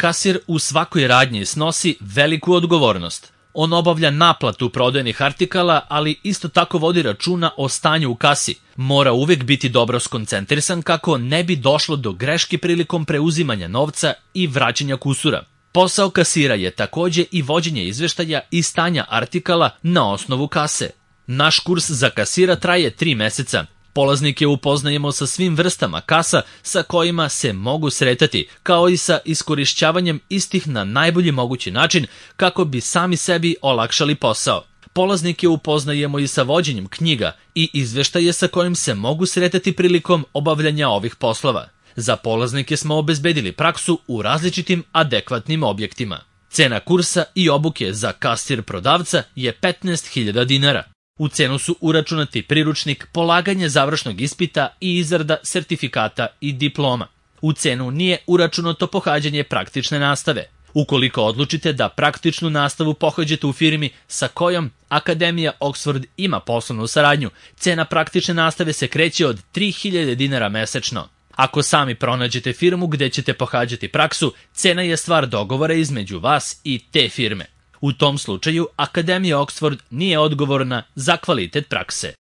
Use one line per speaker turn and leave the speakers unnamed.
Kasir u svakoj radnji snosi veliku odgovornost. On obavlja naplatu prodajnih artikala, ali isto tako vodi računa o stanju u kasi. Mora uvijek biti dobro skoncentrisan kako ne bi došlo do greške prilikom preuzimanja novca i vraćanja kusura. Posao kasira je također i vođenje izveštaja i stanja artikala na osnovu kase. Naš kurs za kasira traje 3 meseca. Polaznike upoznajemo sa svim vrstama kasa sa kojima se mogu sretati, kao i sa iskorišćavanjem istih na najbolji mogući način kako bi sami sebi olakšali posao. Polaznike upoznajemo i sa vođenjem knjiga i izveštaje sa kojim se mogu sretati prilikom obavljanja ovih poslova. Za polaznike smo obezbedili praksu u različitim adekvatnim objektima. Cena kursa i obuke za kasir prodavca je 15.000 dinara. U cenu su uračunati priručnik, polaganje završnog ispita i izrada sertifikata i diploma. U cenu nije uračunato pohađanje praktične nastave. Ukoliko odlučite da praktičnu nastavu pohađate u firmi sa kojom Akademija Oxford ima poslovnu saradnju, cena praktične nastave se kreće od 3.000 dinara mesečno. Ako sami pronađete firmu gde ćete pohađati praksu, cena je stvar dogovora između vas i te firme. U tom slučaju, Akademija Oxford nije odgovorna za kvalitet prakse.